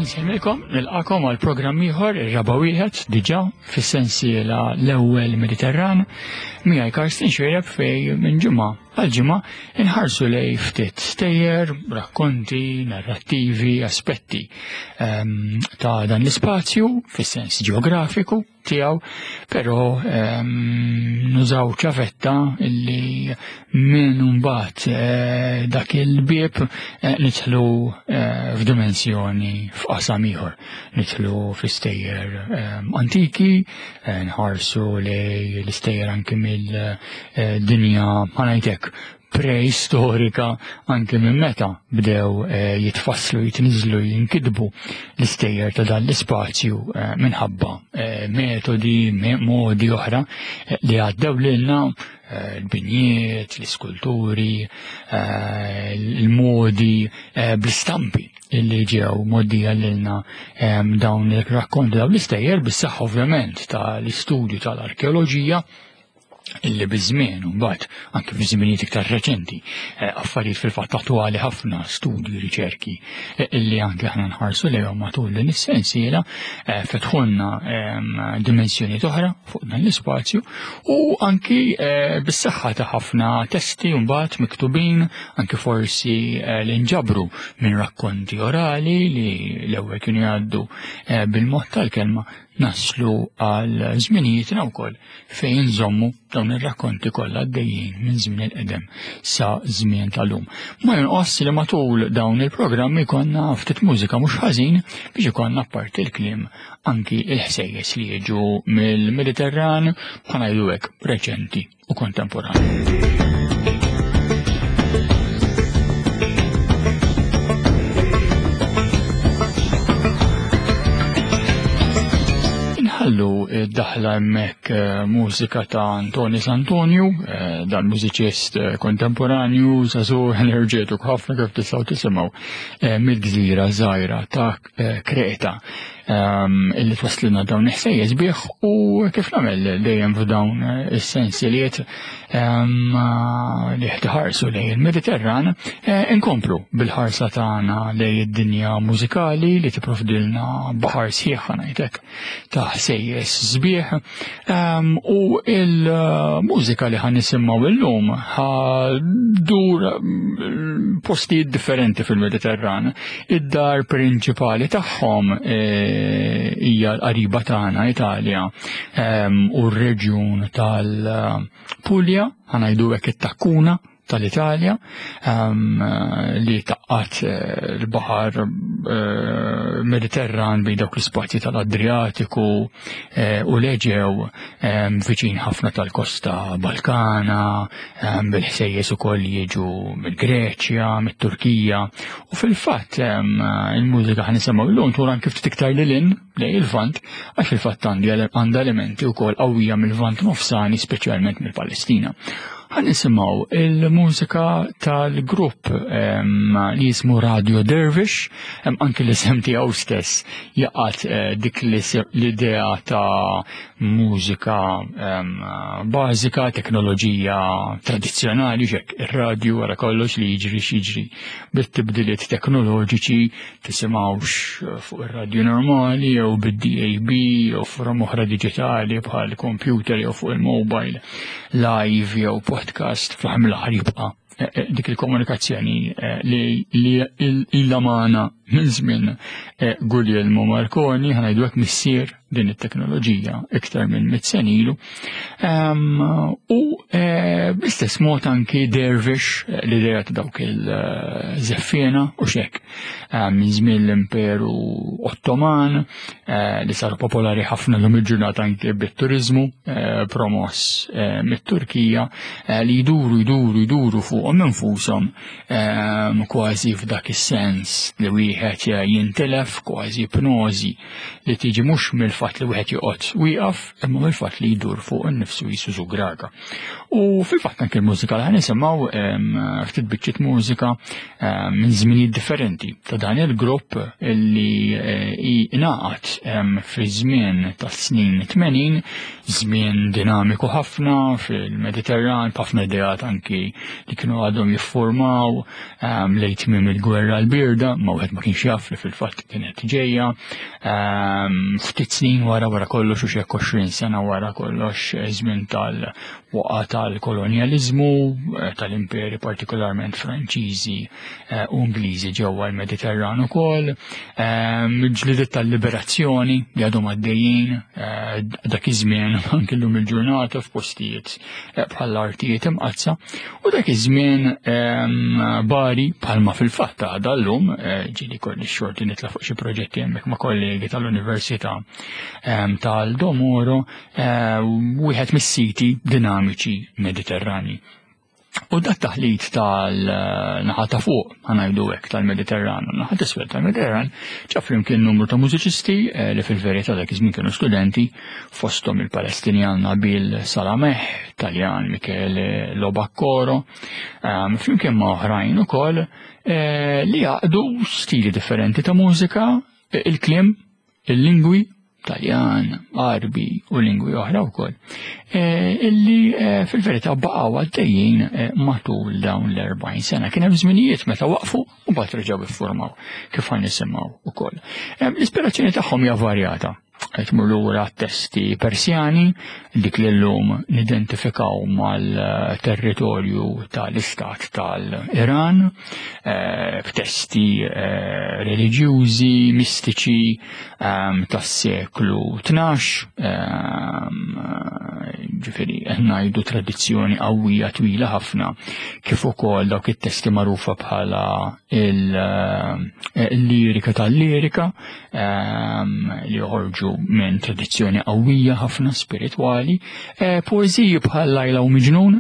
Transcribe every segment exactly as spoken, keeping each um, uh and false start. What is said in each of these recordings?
Insellmilkom, nilqakom għal programm ieħor, ir-raba' wieħed diġà fis-sensiela l-ewwel Mediterran, miegħi Karsten Xereb fej minn ġimgħa għal ġimgħa inħarsu lej ftit stejjer, rakkonti, narrattivi, aspetti ehm, ta' dan l-ispazju fis-sens ġeografiku tiegħu, però ehm, nużaw ċavetta illi minn mbagħad eh, dak il-bieb eh, nidħlu eh, f'dimensjoni f'qasam ieħor. Nidħlu fl-istejjer ehm, antiki, nħarsu lej l-istejjer anki mill-dinja ħanajtek preistorika anke minn meta bdew eh, jitfasslu, jitniżlu, jinkitbu l-istejjer ta' dan l-ispazju eh, minħabba eh, metodi, modi oħra li għaddew lilna l-binjiet, l-iskulturi, il-modi bl-istampi illi ġew moddija lilna dawn il-rakkonti, dawn l-istejjer bis-saħħa ovvjament tal-istudju tal-arkeoloġija illi biż-żmien u mbagħad anke fi żminijiet iktar reċenti eh, affarijiet fil-fatt attwali ħafna studji, riċerki eh, illi anke aħna nħarsu lejhom matul din is-sensiela eh, fetħulna ehm, dimensjonijiet oħra fuq dan l-ispazju u anki bis-saħħa ta' ħafna testi mbagħad miktubin anke forsi li nġabru minn rakkonti orali li l-ewwel kienu jgħaddu bil-mod tal-kelma naslu għal żminijietna wkoll fejn nżommu dawn ir-rakkonti kollha għaddejjin minn żmien il-qedem sa żmien tal-lum. Ma jonqos li matul dawn il-programmi konna ftit mużika mhux ħażin biex ikollna apparti l-kliem anki il-ħsejjes li jiġu mill-Mediterran bħala ngħidu hekk reċenti u kontemporanju. Inħallu id-daħla hemmhekk eh, mużika ta' Antoni Santonju, eh, dan mużiċist eh, kontemporanju, żagħżugħ enerġetiku ħafna kif tistgħu tisimgħu mill-gżira żgħira ta' Kreta ehm, illi twaslilna dawn il-ħsejjes bih u kif nagħmel dejjem f'dawn is-sensiliet ehm, li ħarsu lejn il-Mediterran, inkomplu bil-ħarsa tagħna lejn id-dinja mużikali li tipprovdilna baħar sħiħ ngħidlek ta' ħsejjes sbieħ ehm, u il-mużika li ħan nisimgħu illum dur mm, postijiet differenti fil-Mediterran. Id-dar prinċipali tagħhom eh, hija l-qariba tagħna Italja ehm, u r-reġjun tal-Puglia, ħanajdu hekk it-Takkuna tal-Italja um, li taqqat eh, l-baħar eh, Mediterran bejn dawk l-ispazji tal-Adriatiku eh, u l-Eġew ehm, viċin ħafna tal-kosta Balkana, ehm, bil-ħsejjes ukoll jiġu mill-Greċja, mit-Turkija u fil-fatt il-mużika ħa nisimgħu llum tul anke ftit iktar lil hinn lejn il-Lvant għax fil-fatt għandha elementi wkoll qawwija mill-Lvant nofsani speċjalment mill-Palestina. Ħa nisimgħu il-mużika tal-grupp li jismu Radio Dervish, hemm anki l-isem tiegħu stess jaqgħad eh, dik l-idea ta' mużika bażika, teknoloġija tradizzjonali, xek ir-radju wara kollox li jiġri x'jiġri bit-tibdiliet teknoloġiċi tisimgħux fuq ir-radju normali jew bid-D A B jew forom oħra diġitali bħal computer jew fuq il-mobile live jew podcast, fl-aħħar mill-aħħar jibqa' eh, eh, dik il-komunikazzjoni eh, li ilha magħna minn żmien Guglielmo Marconi, ħa ngħidu hekk missier din it-teknoloġija iktar minn mitt sena ilu. U bl-istess mod anki Dervish, l-idea ta' dawk il-żeffiena u xek minn żmien l-Imperu Ottoman li saru popolari ħafna l il-ġurnata anke bit-turizmu promoss mit-Turkija li jduru jduru jduru fuqhom infushom kważi f'dak is-sens li wieħed jintilef, kważi ipnożi li tiġi mhux mill mill-fatt li wieħed joqgħod wieqaf, imma mill-fatt li jdur fuq innifsu jisu żugraga. U fil-fatt anke l-mużika li ħa nisimgħu ftit biċċiet mużika minn żminijiet differenti ta' dan il-grupp li ingħaqad fi żmien tas-snin tmenin, żmien dinamiku ħafna fil-Mediterran, b'ħafna ideat anki li kienu għadhom jiffurmaw lejn tmiem il-gwerra l-birda, ma wieħed ma kienx jaf li fil-fatt kienet ġejja. Ftit snin wara wara kollox u xi għoxrin sena wara kollox żmien tal-waqa tal-kolonjaliżmu, tal-imperi partikolarment Franċiżi u Ingliżi ġewwa l-Mediterran ukoll, ġlidiet tal-liberazzjoni li għadhom għaddejjin dak iż-żmien anke llum il-ġurnata f'postijiet bħall-artijiet imqaddsa, u dak iż-żmien Bari bħalma fil-fatt għadha llum, ġieli kolli xorti nitla' fuq xi proġetti hemmhekk ma' kollegi tal-Università tal-Domoro, wieħed mis-siti dinamiċi Mediterrani. U dak taħlit tal-naħa ta' fuq, ħa ngħidu hekk, tal-Mediterran, naħa t'isfel tal-Mediterran, ġab flimkien numru ta' mużiċisti li fil-verità dak iż-żmien kienu studenti, fosthom il-Palestinjan Nabil Salameh, Taljan Michele Lobaccoro, flimkien ma' oħrajn ukoll li jaqdu stili differenti ta' mużika, il-kliem, il-lingwi, Taljan, Arbi u lingwi oħra wkoll, illi fil-verità baqgħu għaddejjin matul dawn l-erbgħin sena. Kien hemm żminijiet meta waqfu u mbagħad reġgħu iffurmaw kif ħa nisimgħu ukoll. L-ispirazzjoni tagħhom hija varjata. Qed tmur lura testi Persjani, dik li llum nidentifikaw mal-territorju tal-istat tal-Iran, b'testi reliġjużi, mistiċi tas-seklu tnax, ġifieri qed ngħidu tradizzjoni qawwija twila ħafna, kif ukoll dawk it-testi magħrufa bħala il-lirika tal-lirika li joħorġu minn tradizzjoni qawwija ħafna spiritwali, poeżiji bħal Lajla u Miġnun,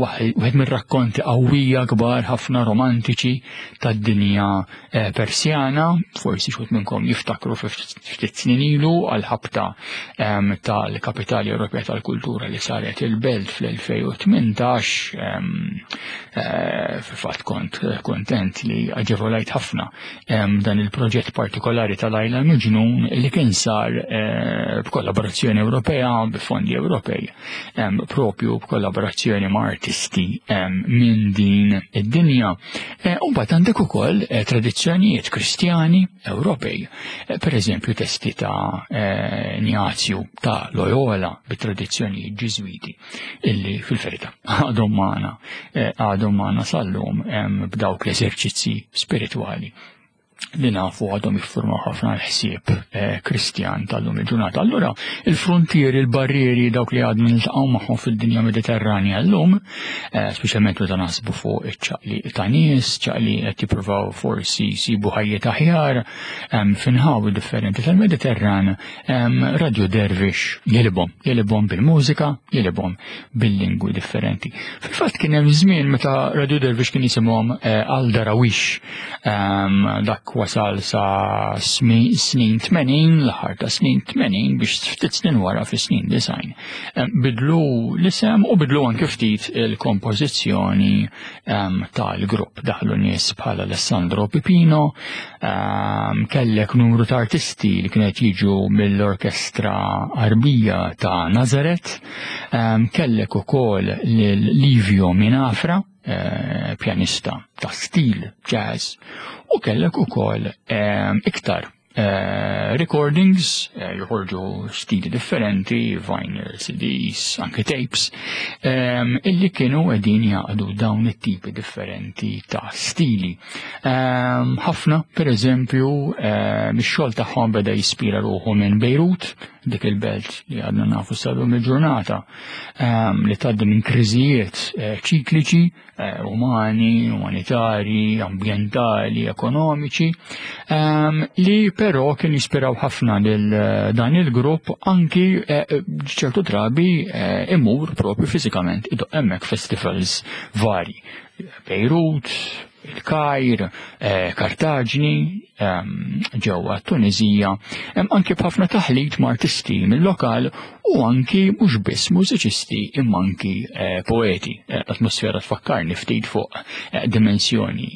wieħed mir-rakkonti qawwija kbar ħafna romantiċi tad-dinja Persjana, forsi xi minnkom jiftakru ftit snin ilu għal-ħabta tal-Kapitali Ewropea tal-Kultura li saret il-Belt fl-elfejn u tmintax, fil-fatt kont kontent li aġevolajt ħafna dan il-proġett partikolari tal-Lajla Miġnun li kien sar b'kollaborazzjoni Ewropea, b'fondi Ewropej, propju b'kollaborazzjoni ma' artisti minn din id-dinja. U mbagħad għandek ukoll tradizzjonijiet Kristjani Ewropej, per eżempju testi ta' Ignazju ta' Loyola bit-tradizzjonijiet Ġiżwiti illi fil-verità għadhom magħna għadhom magħna sal-lum b'dawk l-eżerċizzi spiritwali li nafu għadhom jiffurmaw ħafna l-ħsieb Kristjan tal-lum il-ġurnata. Allura, il-frontieri, il-barrieri, dawk li għadna niltaqgħu magħhom fid-dinja Mediterranja llum, speċjalment meta naħsbu fuq iċ-ċaqli ta' nies, ċaqli qed jippruvaw forsi jsibu ħajjiet aħjar f'inħawi differenti tal-Mediterran, Radio Dervish jelibhom, jelibhom bil-mużika, jelibhom bil-lingwi differenti. Fil-fatt kien hemm żmien meta Radio Dervish kien jisimhom Al-Darawish, dak wasal sa snin tmenin, l-aħħar ta' snin tmenin biex ftit snin wara fi snin design. Bidlu l-isem u bidlu anke ftit il-kompożizzjoni tal-grupp. Daħlu nies bħal Alessandro Pipino, kellek numru ta' artisti li kienet jiġu mill-Orkestra Arbija ta' Nazaret, kellek ukoll lil Livio Minafra, pjanista ta' stil jazz, u kellek ukoll iktar recordings, joħorġu stili differenti, vinyl, C Ds, anke tapes, illi kienu qegħdin jaqdu dawn it-tipi differenti ta' stili. Ħafna, per eżempju, mix-xogħol tagħhom beda jispira ruħu minn Beirut, dik il-belt li għadna nafu sal-lum il-ġurnata, li tgħaddi minn kriżijiet ċikliċi, umani, umanitari, ambjentali, ekonomiċi, li però kien jispiraw ħafna lil dan il-grupp anki ċertu drabi imur propju fiżikament idoq hemmhekk festivals vari. Beirut, il-Kajr, Kartaġni, ġewwa Tunizija, anki b'ħafna taħlit ma' artisti mill-lokal u anki mhux biss mużiċisti imma anki poeti. L-atmosfera tfakkarni ftit fuq dimensjoni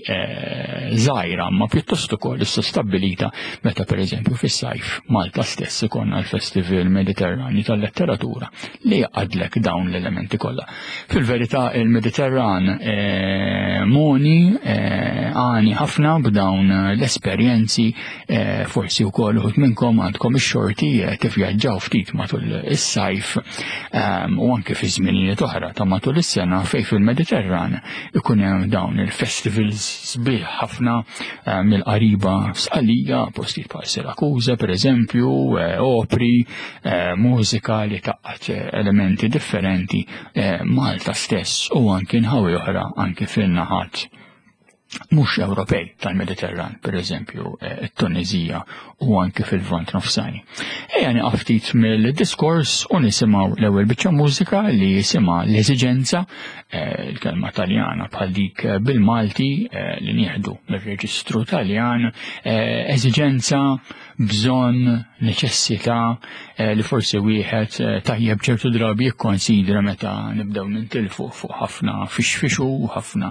żgħira ma pjuttost ukoll issa stabbilita meta pereżempju fis-sajf Malta stess ikollna l-Festival Mediterranju tal-Letteratura li jaqadlek dawn l-elementi kollha. Fil-verità il-Mediterran moni għani ħafna b'dawn l-esperjenzi, forsi wkoll uħud minnkom għandkom ix-xorti tivvjaġġaw ftit matul is-sajf u anke fi żminijiet oħra ta' matul is-sena fejn fil-Mediterran ikun hemm dawn il-festivals sbieħ ħafna mill-qariba f'Sqalija, postijiet bħal Sirakuża pereżempju, opri, mużika li taqgħod elementi differenti Malta stess u anke nħawi oħra anke fin-naħat mhux Ewropej tal-Mediterran, per eżempju it-Tunizija u anke fil-Lvant Nofsani. Ejja nieqaf ftit mill-diskors u nisimgħu l-ewwel biċċa mużika li jisimha l-eżiġenza, il-kelma Taljana bħal dik bil-Malti li nieħdu mir-reġistru Taljan, eżiġenza, bżonn, neċessità li forsi wieħed tajjeb ċertu drabi jikkonsidra meta nibdew nintilfu fuq ħafna fixfixu u ħafna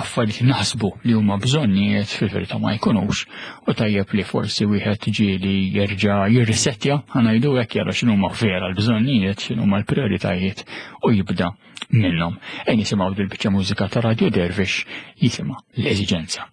affarijiet naħsbu li huma bżonnijiet fil-verità ma jkunux, u tajjeb li forsi wieħed ġieli jerġa' jirrisettja, ħanajdu hekk, jara x'inhuma vera l-bżonnijiet, x'inhuma l-prijoritajiet u jibda minnhom. Ejn nisimgħu dil-biċċa mużika ta' Radio Dervish jisimha l-eżiġenza.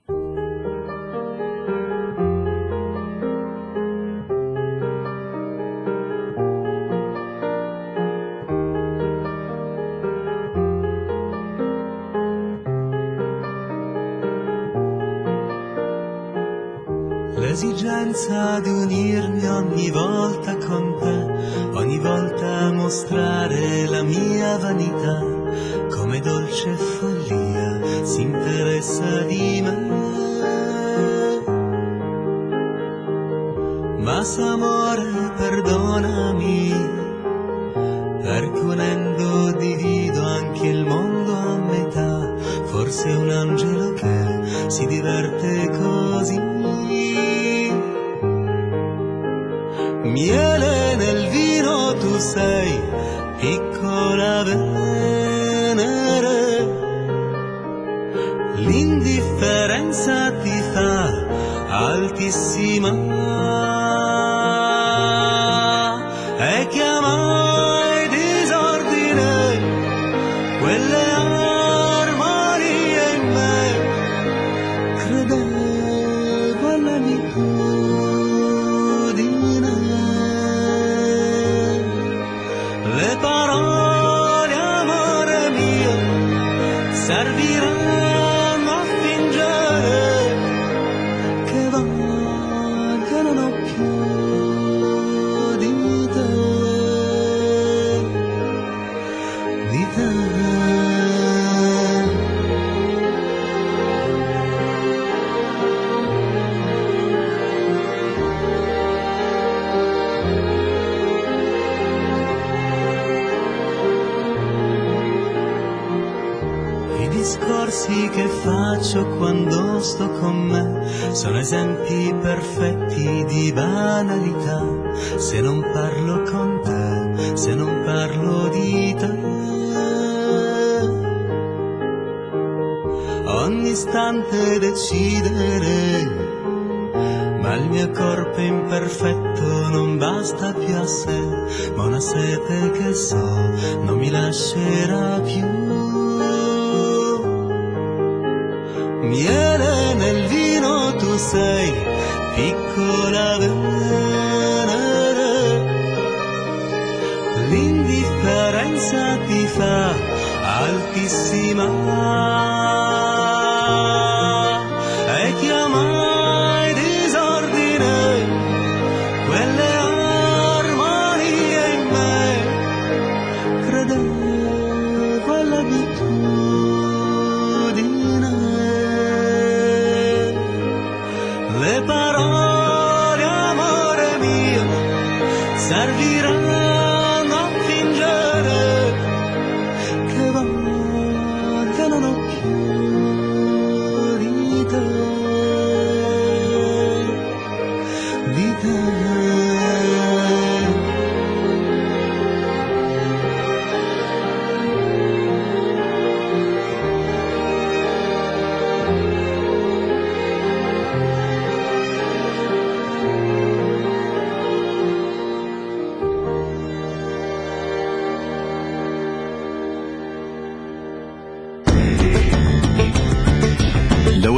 L'esigenza di unirmi ogni volta con te, ogni volta mostrare la mia vanità, come dolce follia si interessa di me. Ma s'amore perdonami, perché unendo divido anche il mondo a metà, forse un angelo che si diverte così. Miele nel vino tu sei, piccola Venere, l'indifferenza ti fa altissima e chiamai disordine quelle armonie in me, credevo all'abitudine. Le parole, amore mio, serviranno a fingere che voglia non ho più di te, di te. Discorsi che faccio quando sto con me sono esempi perfetti di banalità. Se non parlo con te, se non parlo di te, ogni istante decidere, ma il mio corpo imperfetto non basta più a sé, ma una sete che so non mi lascerà più. Miele nel vino tu sei, piccola Venere, l'indifferenza ti fa altissima e chiamai disordine quelle armonie in me, credevo all'abitudine.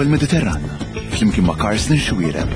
L-ewwel Mediterran, flimkien ma' Carsten Xuereb.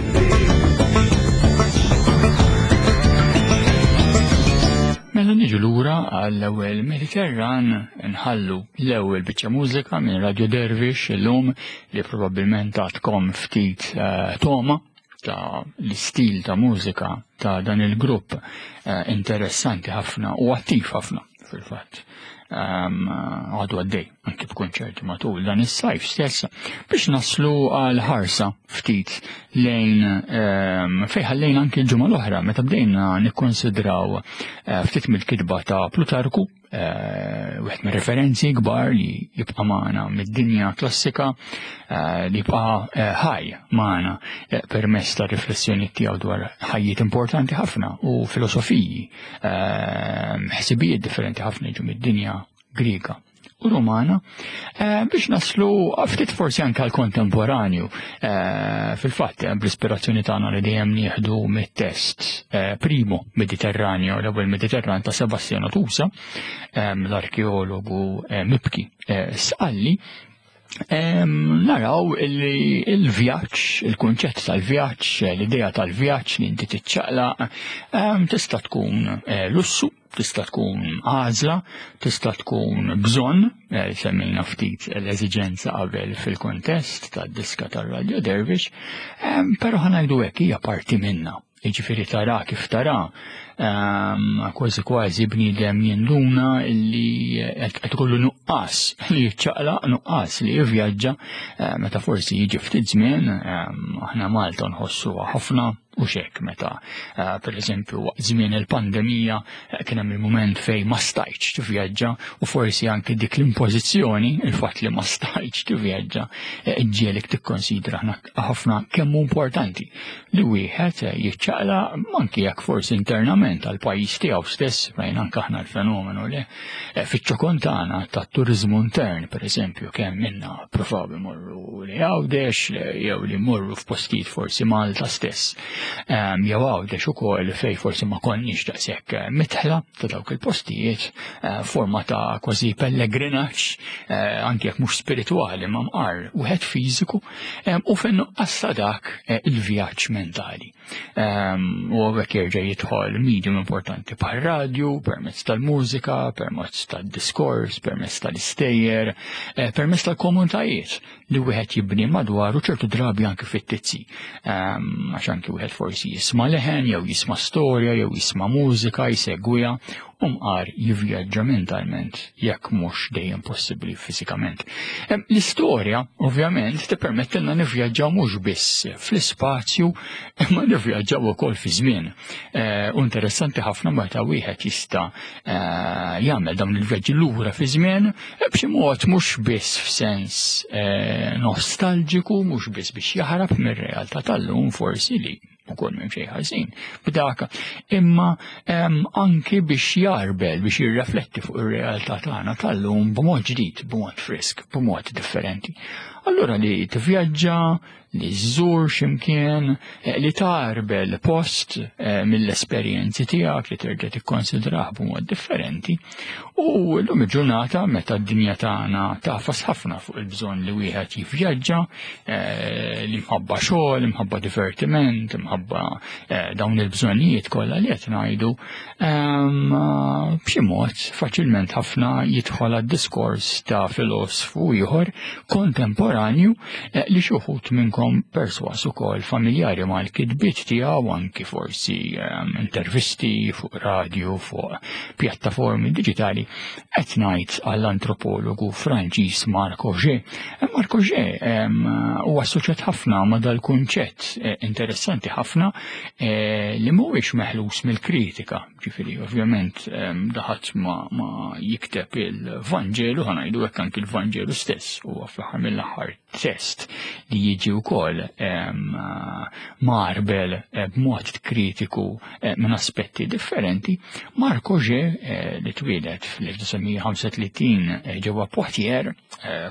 Mela niġu lura għall-ewwel Mediterran, nħallu l-ewwel biċċa mużika minn Radio Dervish illum li probabbilment għadkom ftit uh, toma ta' l-istil ta' mużika ta' dan il-grupp uh, interessanti ħafna u attiv ħafna fil-fatt. Għadu għaddej anki b'konċerti matul dan is-sajf stess biex naslu għal ħarsa ftit lejn fejn ħallejna anki l-ġimgħa l-oħra meta bdejna nikkonsidraw ftit mill-kitba ta' Plutarku, wieħed mir-referenzi kbar li jibqa' magħna mid-dinja klassika, li jibqa' ħaj magħna permezz ta' riflessjoni tiegħu dwar ħajjiet importanti ħafna u filosofiji, ħsibijiet differenti ħafna jiġu mid-dinja Griega u Romana, biex naslu ftit forsi anke għal kontemporanju. Fil-fatt, bl-ispirazzjoni tagħna li dejjem nieħdu mit-test Primo Mediterraneo, l-ewwel Mediterran ta' Sebastiano Tusa, l-arkeologu mibki Sqalli, naraw il-vjaġġ, il-kunċett tal-vjaġġ, l-idea tal-vjaġġ li inti tiċċaqlaq, tista' tkun lussu, tista' tkun għażla, tista' tkun bżonn, semmejna ftit l-eżiġenza qabel fil-kontest tad-diska tar-Radio Dervish, però ħa ngħidu hekk hija parti minna. Jiġifieri tara kif tara, kważi kważi bniedem jinduna li qed ikollu nuqqas li jiċċaqlaq, nuqqas li jivvjaġġa, meta forsi jiġi ftit żmien, aħna Malta nħossuha ħafna u xek meta per eżempju waqt żmien il-pandemija kien hemm il-mument fejn ma stajtx tivvjaġġa u forsi anke dik l-impożizzjoni, il-fatt li ma stajtx tivvjaġġa, ġielek tikkonsidra ħafna kemm hu importanti li wieħed jiċċaqlaq anke jekk forsi internament għal pajjiż tiegħu stess, rajna anke aħna l-fenomenu li fiċ-ċokon tagħna tat-turiżmu intern, per eżempju, kemm minna provaw imorru li Għawdex jew li mmorru f'postijiet forsi Malta stess. Jew Għawdex ukoll fej forsi ma konniex daqshekk mitħla ta' dawk il-postijiet, forma ta' kważi pellegrinaġġ, anke jekk mhux spiritwali ma mqar wieħed fiżiku, u fejn nuqqas ta' dak il-vjaġġ mentali. U hawnhekk jerġa' jidħol medium importanti bħal radju, permezz tal-mużika, permezz tad-diskors, permezz tal-istejjer, permezz tal-komunitajiet li wieħed jibni madwaru ċertu drabi anke fit-tizzi. Għax anke wieħed forsi jisma' leħen, jew jisma' storja, jew jisma' mużika, jsegwiha, u mqar jivvjaġġa mentalment jekk mhux dejjem possibbli fiżikament. L-istorja ovvjament tippermettilna nivvjaġġaw mhux biss fl-ispazju, imma nivvjaġġaw ukoll fi żmien. U interessanti ħafna meta wieħed jista' jagħmel dawn il-vjaġġi lura fi żmien b'xi mod mhux biss f'sens nostalġiku, mhux biss biex jaħrab mir-realtà tal-lum forsi li ukoll m'hemm xejn ħażin b'dak, imma anki biex jarbel, biex jirrefletti fuq ir-realtà tagħna tal-lum b'mod ġdid, b'mod frisk, b'mod differenti. Allura li tivvjaġġa, li żżur x'imkien, li tarbel post mill-esperjenzi tiegħek li terġa' tikkonsidrah b'mod differenti. U llum il-ġurnata meta d-dinja tagħna tafas ħafna fuq il-bżonn li wieħed jivvjaġġa, li mħabba xogħol, mħabba divertiment, mħabba dawn il-bżonnijiet kollha li qed ngħidu, b'xi mod faċilment ħafna jidħol għad-diskors ta' filosfu ieħor kontemporanju li xi wħud minnkom perswas ukoll familjari mal-kitbiet tiegħu, anki forsi intervisti fuq radio, fuq pjattaformi diġitali, qed ngħid għall-antropologu Franċiż Marc Augé. Marc Augé huwa assoċjat ħafna ma' dal-kunċett interessanti ħafna li mhuwiex meħlus mill-kritika. Ġifieri ovvjament daħat ma jikteb il-Vanġelu, ħa ngħidu hekk anki il-Vanġelu stess huwa fl-aħħar mill-aħħar test li jiġi wkoll marbel b'mod kritiku minn aspetti differenti. Marc Augé li twieled fl-elf disa' mija ħamsa u tletin ġewwa Poitiers,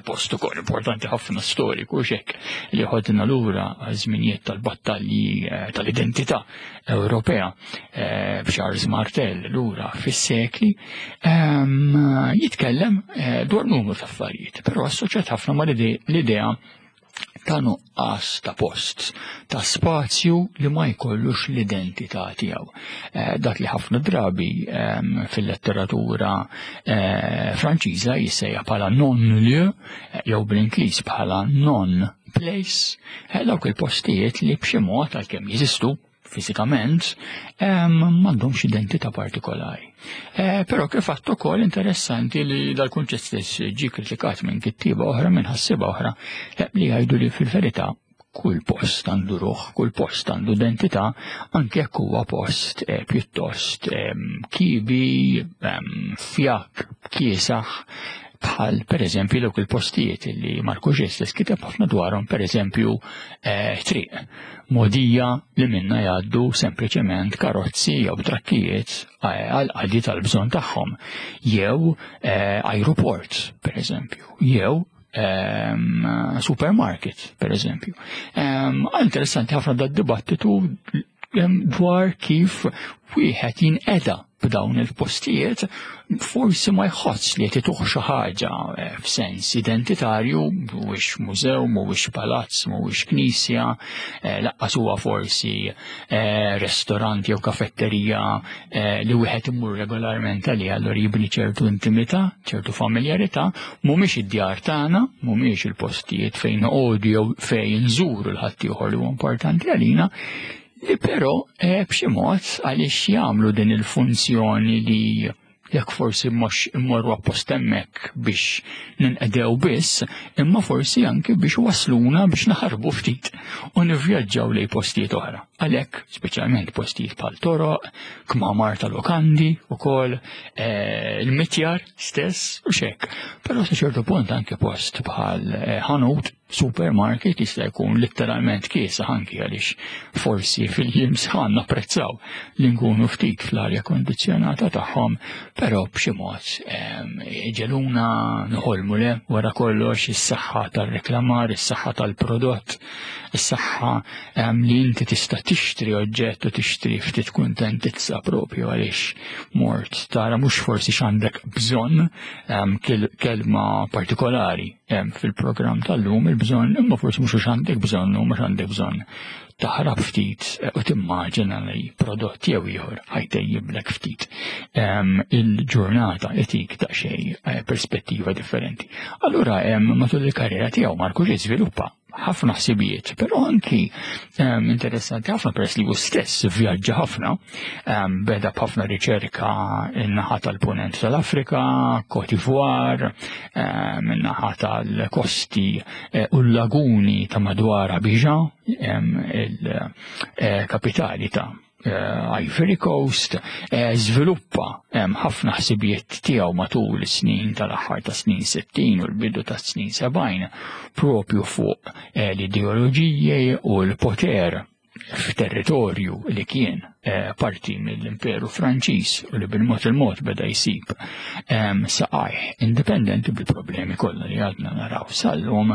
post ukoll importanti ħafna storiku xek li ħodna lura żminijiet tal-battalji tal-identità Ewropea b'Charles Martel lura fis-sekli, jitkellem dwar numru ta' affarijiet, però assoċjat ħafna ma' l-idea ta' nuqqas ta' post, ta' spazju li ma jkollux l-identità tiegħu. Eh, dak li ħafna drabi ehm, fil-letteratura eh, Franċiża jissejjaħ bħala non-lieu, eh, jew bl-Ingliż bħala non-place, dawk il-postijiet li b'xi mod għalkemm jeżistu fiżikament ehm, m'għandhomx identità partikolari. Però kif għadt ukoll interessanti li dal-kunċett stess ġie kritikat minn kittieba oħra, minn ħassieba oħra, li jgħidu li fil-verità kull post għandu ruħ, kull post għandu identità, anke jekk huwa post eh, pjuttost ehm, kibi, ehm, fjakk, kiesaħ, bħal per eżempju dawk il-postijiet li Marc Augé stess kiteb ħafna dwarhom, per eżempju eh, triq mogħdija li minna jgħaddu sempliċement karozzi jew trakkijiet eh, għal qadi tal-bżonn tagħhom, jew eh, aeroport per eżempju, jew ehm, supermarket per eżempju. Ehm, interessanti ħafna da dibattitu ehm, dwar kif wieħed jinqeda b'dawn il-postijiet, forsi ma jħoss li qed ituh xi ħaġa eh, f'sens identitarju, mhuwiex mużew, mhuwiex palazz, mhuwiex knisja, eh, lanqas huwa forsi eh, restorant jew kafetterija li wieħed imur regolarment għalih, allura jibni ċertu intimità, ċertu familjarità, mhumiex id-djar tagħna, mhumiex il-postijiet fejn noqogħdu jew fejn nżuru l-ħaddieħor li huwa importanti għalina, li però eh, b'xi mod għaliex jagħmlu din il-funzjoni li jekk forsi mhux immorru appost hemmhekk biex ninqedew biss, imma forsi anke biex wasluna biex naħarbu ftit u nivvjaġġaw lejn postijiet oħra. Għalhekk, speċjalment postijiet bħal toroq, kmamar ta' lokandi ukoll, eh, il-mitjar stess u xek. Però sa ċertu punt anke post bħal eh, ħanut, supermarket jista' jkun letteralment kiesaħ anki għaliex forsi fil-jiem sħan napprezzaw li nkunu ftit fl-arja kondizzjonata tagħhom, però b'xi mod ġeluna nħolmu le wara kollox is-saħħa tal-reklamar, is-saħħa tal-prodott, is-saħħa li inti tista' tixtri oġġett u tixtri ftit kuntentizza propju għaliex mort tara mhux forsi x'għandek bżonn, kelma partikolari fil-programm tal-lum il-bżonn, imma forsi mhux għandek bżonn u mhux għandek bżonn taħrab ftit u timmaġina li prodott jew ieħor ħa jtejjiblek ftit il-ġurnata, itik daqsxejn eh, perspettiva differenti. Allura matul il-karriera tiegħu Marc Augé żviluppa ħafna ħsibijiet, però anki um, interessanti ħafna peress li hu stess vjaġġa ħafna, um, beda b'ħafna riċerka in-naħa tal-punent tal-Afrika, Côte d'Ivoire, um, in-naħa tal-kosti uh, u l-laguni ta' madwar Abidjan, um, il-kapitali ta' Ivory Coast, żviluppa ħafna ħsibijiet tiegħu matul is-snin tal-aħħar ta' snin sittin u l-bidu ta' snin sebgħin propju fuq l-ideoloġiji u l-poter f'territorju li kien parti mill-Imperu Franċiż u li bil-mod il-mod beda jsib saqajh indipendenti bil-problemi kollha li għadna naraw sal-lum.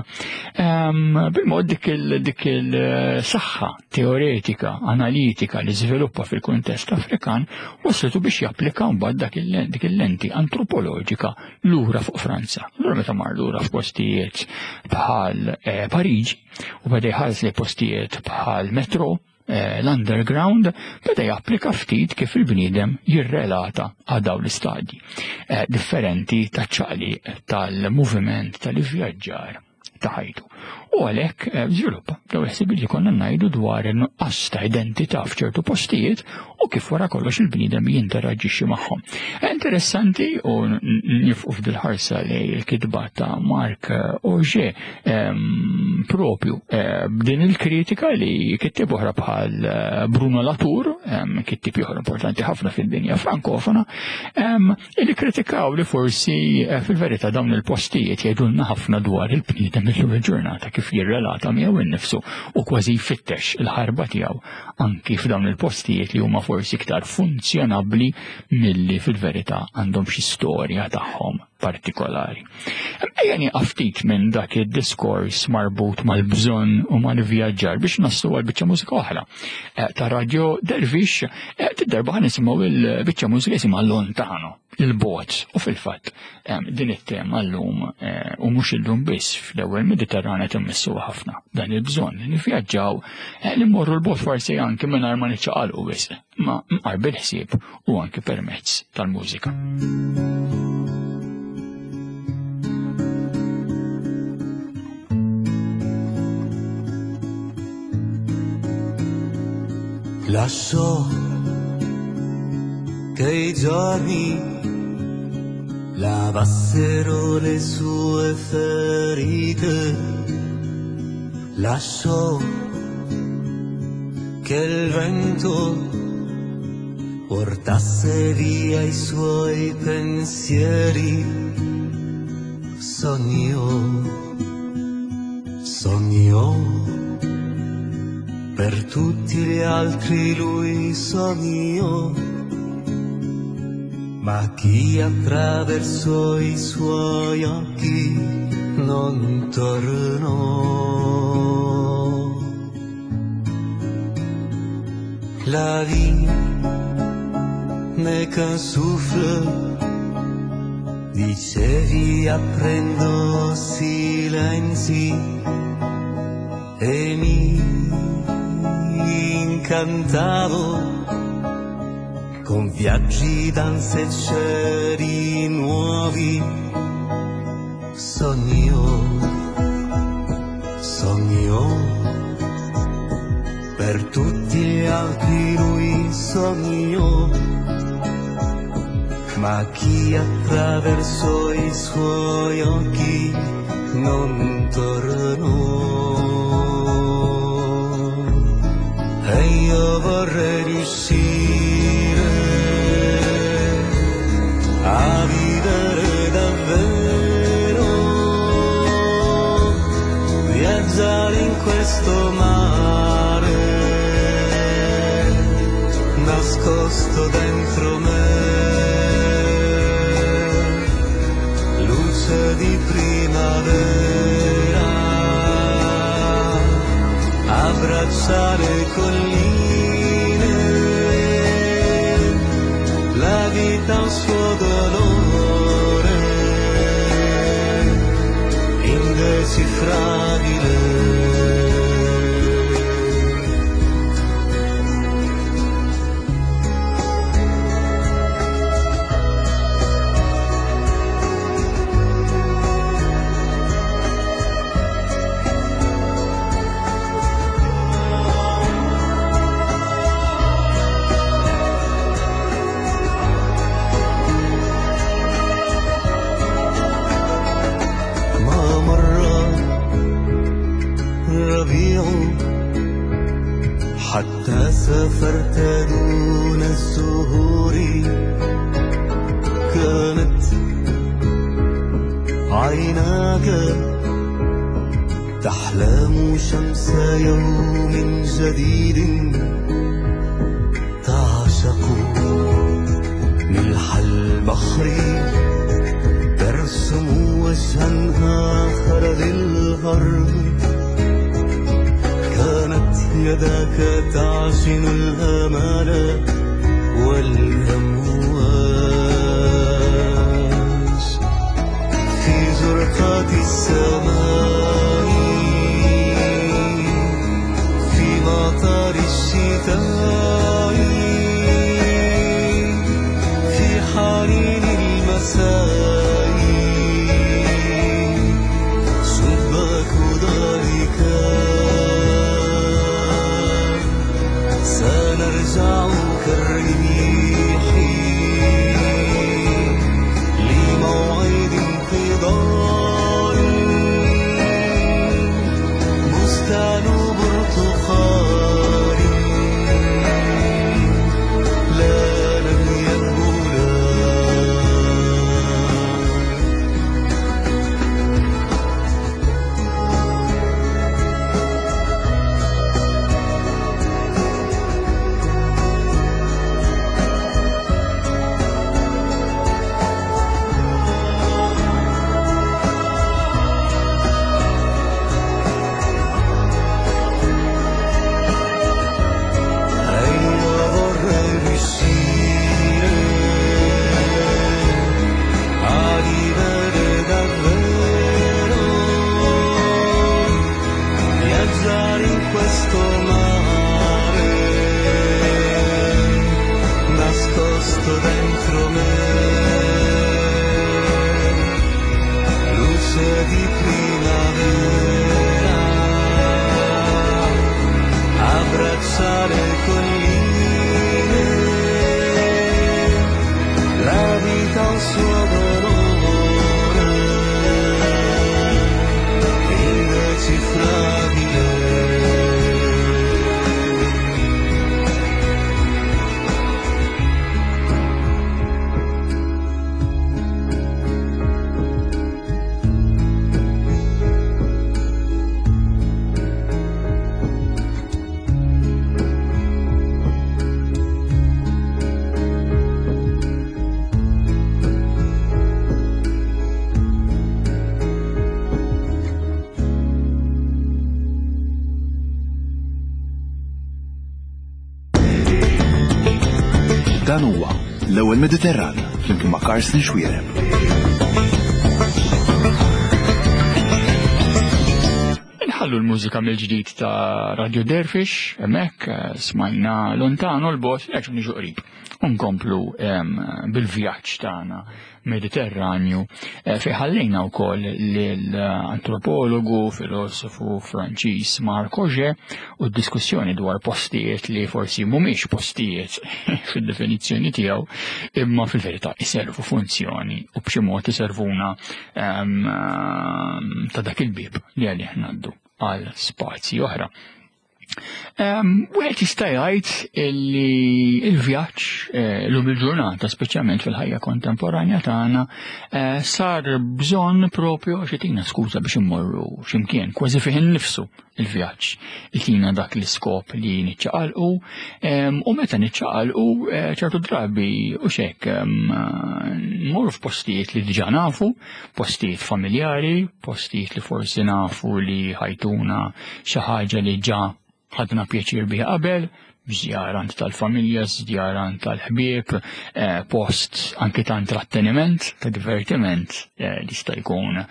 Bil-mod dik dik il-saħħa teoretika, analitika li żviluppa fil-kuntest Afrikan waslitu biex japplika mbagħad dik il-lenti antropoloġika lura fuq Franza. Allura meta mar lura f'postijiet bħal Pariġi u beda jħares li postijiet bħal metro, l-underground, beda japplika ftit kif il-bniedem jirrelata għal dawn l-istadji differenti ta' ċaqliq tal-moviment tal-ivvjaġġar ta' ħajtu. U għalhekk żviluppa dawn il-ħsibijiet li konna ngħidu dwar in-nuqqas ta' identità f'ċertu postijiet u kif wara kollox il-bniedem jinteraġixxi magħhom. Interessanti u nifqu f'dil-ħarsa li l-kitba ta' Marc Augé propju b'din il-kritika li kittib oħra bħal Bruno Latour, kittib ieħor importanti ħafna fid-dinja frankofona, li kritikaw li forsi fil-verità dawn il-postijiet jgħidulna ħafna dwar il-bniedem illum il-ġurnata kif jirrelata miegħu innifsu u kważi jfittex il-ħarba tiegħu anki f'dawn il-postijiet li huma forsi iktar funzjonabbli milli fil-verità għandhom xi storja tagħhom partikolari. Ejja nieqaf ftit minn dak id-diskors marbut mal-bżonn u mal-vjaġġar biex naslu għal biċċa mużika oħra ta' Radio Dervish. Tid-darba ħa nisimgħu il-biċċa mużika jisimha Lontano, il-bot, u fil-fatt din it-tema llum u mhux illum biss fl-ewwel Mediterrana timmissu ħafna dan il-bżonn li nivvjaġġaw, li mmorru l-bot forsi anke mingħajr ma niċċaqalqu wisq, ma mqar bil-ħsieb u anke permezz tal-mużika. Lasciò che i giorni lavassero le sue ferite, lasciò che il vento portasse via i suoi pensieri. Sognò, sognò, per tutti gli altri lui sognò, ma chi attraversò i suoi occhi non tornò. La vie n'est qu'un souffle, dicevi aprendo silenzi, e mi incantavo con viaggi, danze e cieli nuovi. Sognò, sognò, per tutti gli altri lui sognò, ma chi attraversò i suoi occhi non tornò. E io vorrei riuscire a vivere davvero, viaggiare in questo mare nascosto dentro me, luce di primavera, abbracciare colline, la vita ha un suo dolore indecifrabile. حتى سافرت دون الزهور، كانت عيناك تحلم شمس يوم جديد، تعشق ملح البحر، ترسم وجها آخر للغرب، كانت يداك تعجن الآمال والأمواج في زرقات السماء، في مطر الشتاء، في حنين المساء، شباك دارك سنرجع كالريح لموعد انقضاء، بستان برتقال Sento dentro me luce di primavera, abbracciare colline, la vita ha un suo dolore indecifrabile. Dan huwa l-ewwel Mediterran flimkien ma' Karsten Xuereb. Inħallu l-mużika mill-ġdid ta' Radio Dervish, hemmhekk smajna lontano l-bot, jerġgħu niġu qrib. Unkomplu bil-vjaġġ tagħna Mediterranju fejn ħallejna wkoll lill-antropologu, filosofu Franċiż Marc Augé u d-diskussjoni dwar postijiet li forsi mhumiex postijiet fid-definizzjoni tiegħu, imma fil-verità iservu funzjoni u b'xi mod iservuna ta' dak il-bieb li għalih ngħaddu għal spazji oħra. Wieħed jista' jgħid li l-vjaġġ llum il-ġurnata, speċjalment fil-ħajja kontemporanja tagħna, sar bżonn propju għax itina skuża biex immorru x'imkien, kważi fih innifsu il-vjaġġ. Itina dak l-iskop li niċċaqalqu, u meta niċċaqalqu ċertu drabi u xek mmorru f'postijiet li diġà nafu, postijiet familjari, postijiet li forsi nafu li ħajtuna xi ħaġa li ġa ħadna pjaċir biha qabel, żjarant tal-familja, żjarant tal-ħbieb, post anki ta' intratteniment, ta' divertiment, li jista' jkun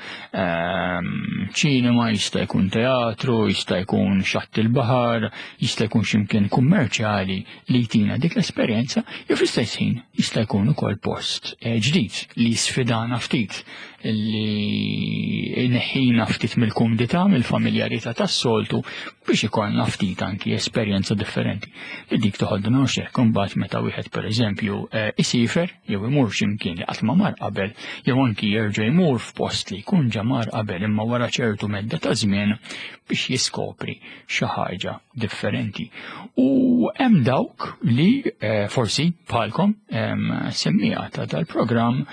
ċinema, jista' jkun teatru, jista' jkun xatt il-baħar, jista' jkun x'imkien kummerċjali li jtina dik l-esperjenza, jew fl-istess ħin jista' jkun ukoll post ġdid li sfidana ftit, li neħħina ftit mill-kumdità, mill-familjarità tas-soltu biex ikollna ftit anki esperjenza differenti. Li dik toħodna u xek, imbagħad meta wieħed pereżempju isifer jew imur x'imkien li qatt ma mar qabel, jew anki jerġa' jmur f'post li jkun ġa mar qabel imma wara ċertu medda ta' żmien biex jiskopri xi ħaġa differenti. U hemm dawk li forsi bħalkom semmija ta' dal-programm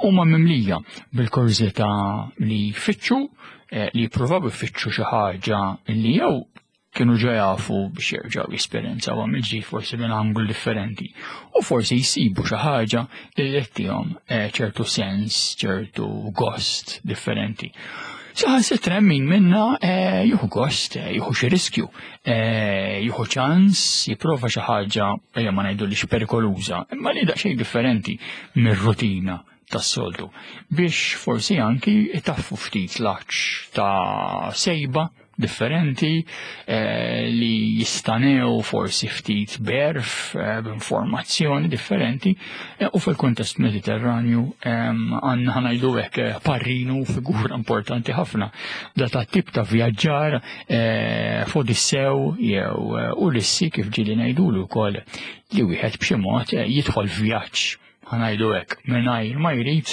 huma mimlija bil-kurżità li jfittxu, li jippruvaw ifittxu xi ħaġa li jew kienu ġa jafu biex jerġgħu jesperjenzawha mill-ġdid forsi minn anglu differenti, u forsi jsibu xi ħaġa li jettihom ċertu sens, ċertu gost differenti. Saħansitra min minna jieħu gost, jieħu xi riskju, jieħu ċans, jipprova xi ħaġa, ejja ma ngħidulix perikoluża, imma li daqsxejn differenti mir-rutina tas-soltu, biex forsi anki itaffu ftit l-għatx ta' sejba differenti eh, li jistanew forsi ftit berf eh, b'informazzjoni differenti, eh, u fil-kontest Mediterranju għandna eh, ħanajdu hekk parrinu figura importanti ħafna da ta' tip ta' vjaġġar eh, f'Odissew jew Ulissi kif ġieli ngħidulu wkoll, li wieħed b'xi mod jidħol vjaġġ ħanajdu hekk mingħajr ma jrid,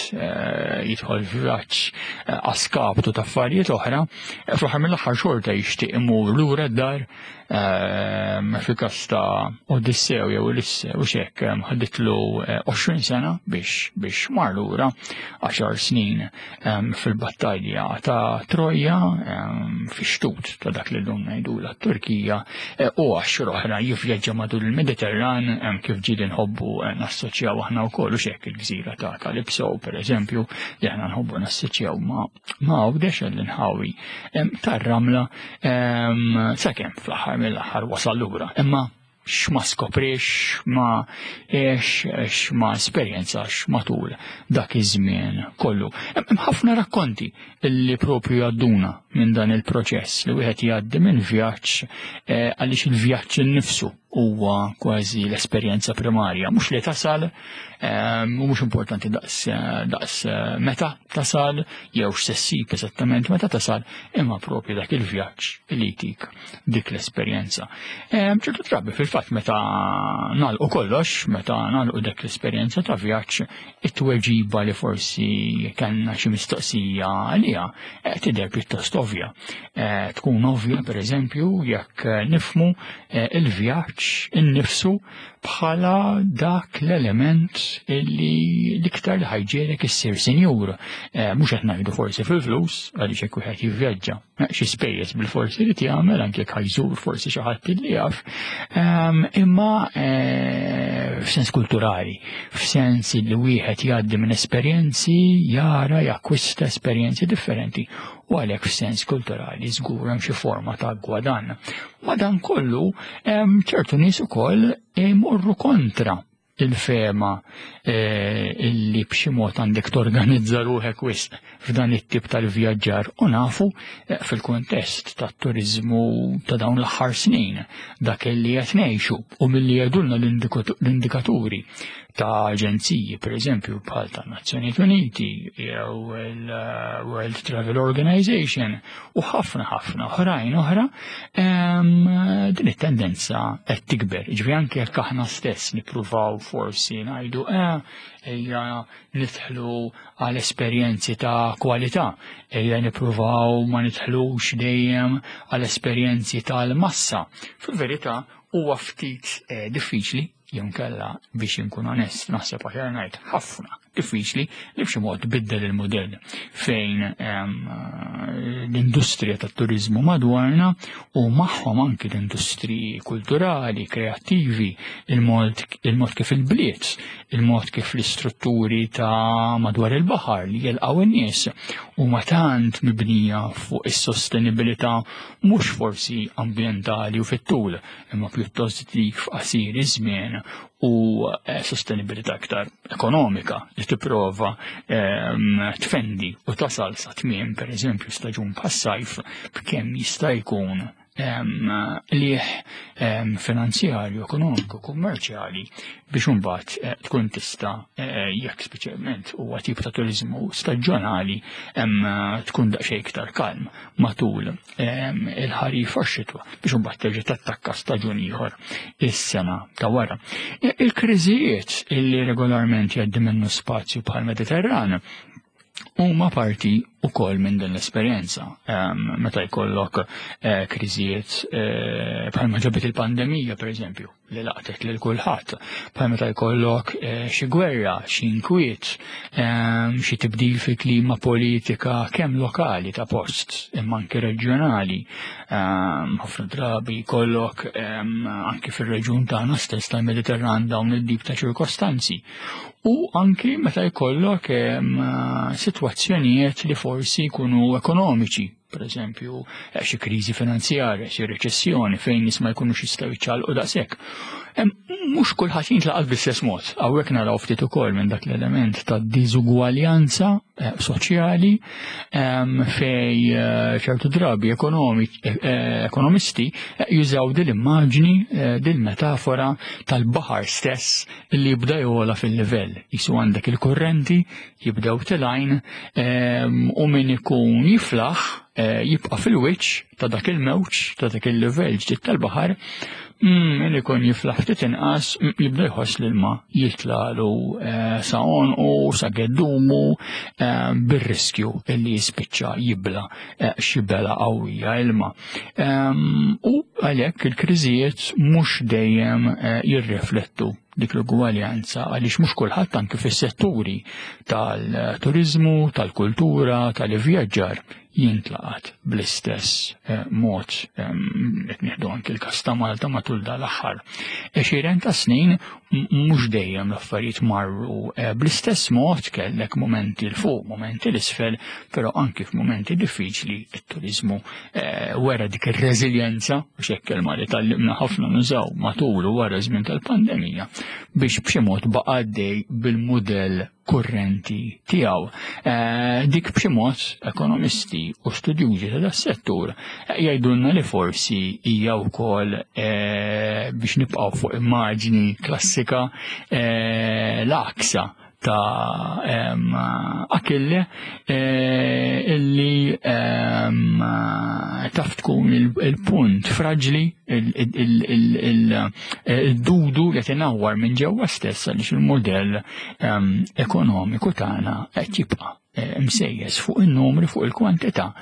jidħol vjaġġ għaskaptu ta' affarijiet oħra, fl-aħħar mill-aħħar xorta jixtieq imur lura d-dar. Fil-każ ta' Odissew jew Ulisse u xek ħaditlu għoxrin sena biex biex mar lura, għaxar snin fil-battalja ta' Troja fix-xtut ta' dak li llum ngħidulha t-Turkija, u għaxar oħra jivvjaġġa matul il-Mediterran kif ġieli nħobbu nassoċjaw aħna wkoll u xek il-gżira ta' Kalipso pereżempju li aħna nħobbu nassoċjaw ma' Għawdex l-inħawi tar-ramla, sakemm fl-aħħar mill-aħħar wasal lura. Imma x'ma skoprix, ma għex, x'ma esperjenzax matul dak iż-żmien kollu. Hemm ħafna rakkonti li propju jgħadduna minn dan il-proċess li wieħed jgħaddi minn vjaġġ, għaliex il-vjaġġ innifsu huwa kważi l-esperjenza primarja, mhux li tasal, u mhux importanti daqs daqs meta tasal jew x'se ssib eżattament meta tasal, imma propju dak il-vjaġġ li jtik dik l-esperjenza. Ċertu drabi fil-fatt meta nagħlqu kollox, meta nagħlqu dak l-esperjenza ta' vjaġġ, it-tweġiba li forsi kellna xi mistoqsija għaliha tidher pjuttost ovvja. Tkun ovvja pereżempju jekk nifhmu il-vjaġġ innifsu bħala dak l-element illi l-iktar li ħa jġiegħlek issir sinjur. Mhux qed ngħidu forsi fil-flus, għaliex hekk wieħed jivvjaġġa xi spejjeż bil-forsi li jagħmel anke jekk ħa jżur forsi xi ħadd li jaf, imma f'sens kulturali, f'sens li wieħed jgħaddi minn esperjenzi, jara, jakkwista esperjenzi differenti, u għalhekk f'sens kulturali żgur hemm xi forma ta' gwadann. Madankollu hemm ċertu nies ukoll imorru kontra il-fema illi b'xi mod għandek torganizza ruħek wisq f'dan it-tip tal-vjaġġar, u nafu fil-kuntest tat-turiżmu ta' dawn l-aħħar snin dak li qed ngħixu u milli jgħidulna l-indikaturi ta' aġenziji, per eżempju, bħal ta' Nazzjonijiet Uniti jew il-World Travel Organization u ħafna ħafna oħrajn oħra, din it-tendenza qed tikber. Ġifieri anke jekk aħna stess nippruvaw forsi ngħidu eh, ejja nidħlu għal esperjenzi ta' kwalità, ejja nippruvaw ma nidħlux dejjem għal esperjenzi tal-massa. Fil-verità huwa ftit eh, diffiċli, jew kella biex inkun onest, naħseb aħjar ngħid ħafna diffiċli li b'xi mod tbiddel il-modell fejn l-industrija tat-turiżmu madwarna u magħhom anki l-industriji kulturali, kreattivi, il-mod il-mod kif il-bliet, il-mod kif l-istrutturi ta' madwar il-baħar li jilqgħu in-nies huma tant mibnija fuq is-sostenibilità mhux forsi ambjentali u fit-tul, imma pjuttost dik f'qasir iż-żmien u sostenibilità aktar ekonomika li tipprova tfendi u tasal sa tmiem pereżempju staġun bħas-sajf b'kemm jista' jkun liħ finanzjarju, ekonomiku, kummerċjali biex imbagħad tkun tista' jekk speċjalment huwa tip ta' turiżmu staġjonali tkun daqsxejn iktar kalm matul il-ħarifa u x-xitwa biex imbagħad terġa' tattakka staġun ieħor is-sena ta' wara. Il-kriżijiet illi regolarment jgħaddi minnu spazju bħal Mediterran huma parti ukoll minn din l-esperjenza. Meta jkollok kriżijiet bħalma ġabet il-pandemija pereżempju li laqtet lil kulħadd, bħal meta jkollok xi gwerra, xi inkwiet, xi tibdil fil-klima politika kemm lokali ta' post imma anke reġjonali. Ħafna drabi jkollok anke fir-reġjun tagħna stess tal-Mediterran dawn id-dib ta' ċirkostanzi. U anki meta jkollok sitwazzjonijiet li forsi jkunu ekonomiċi, per eżempju xi kriżi finanzjarja, xi reċessjoni fejn nies ma jkunux jistgħu jiċċaqalqu daqshekk. Mhux kulħadd jintlaqat bl-istess mod. Hawnhekk naraw ftit ukoll minn dak l-element ta' diżugwaljanza soċjali fej ċertu drabi ekonomisti jużaw dil-immaġni, dil-metafora tal-baħar stess li jibda jola fil-livell. Jisu għandek il-kurrenti jibdew tilajn u min ikun jiflaħ jibqa' fil-wiċċ ta' dak il-mewġ, ta' dak il-livell ġdid tal-baħar, min ikun jiflaħ ftit inqas jibda jħoss l-ilma jitlalu sa għonqu, sa geddumu, bir-riskju illi jispiċċa jibla xi bela qawwija ilma. U għalhekk il-kriżijiet mhux dejjem jirriflettu dik l-ugwaljanza għaliex mhux kulħadd anke fis-setturi tal-turiżmu, tal-kultura, tal-ivvjaġġar jintlaqat bl-istess mod. Qed nieħdu anke l-każ ta' Malta matul dal-aħħar għexieren ta' snin mhux dejjem l-affarijiet marru bl-istess mod, kellek momenti l fuq, momenti l-isfel, però anke f'momenti diffiċli it-turiżmu wera dik ir-reżiljenza, u hekk kelma li tallimna ħafna nużaw matul u wara żmien tal-pandemija, biex b'xi mod baqa' għaddej bil-mudell kurrenti tiegħu. Eh, dik b'xi mod ekonomisti u studjużi ta' das-settur jgħidulna li forsi hija wkoll eh, biex nibqgħu fuq immaġni klassika eh, l-aksa ta' Akille illi taf tkun il-punt fraġli, il-dudu li tinawwar minn ġewwa stess għaliex il-modell ekonomiku tagħna qed jibqa' msejjes fuq in-numri, fuq il-kwantità,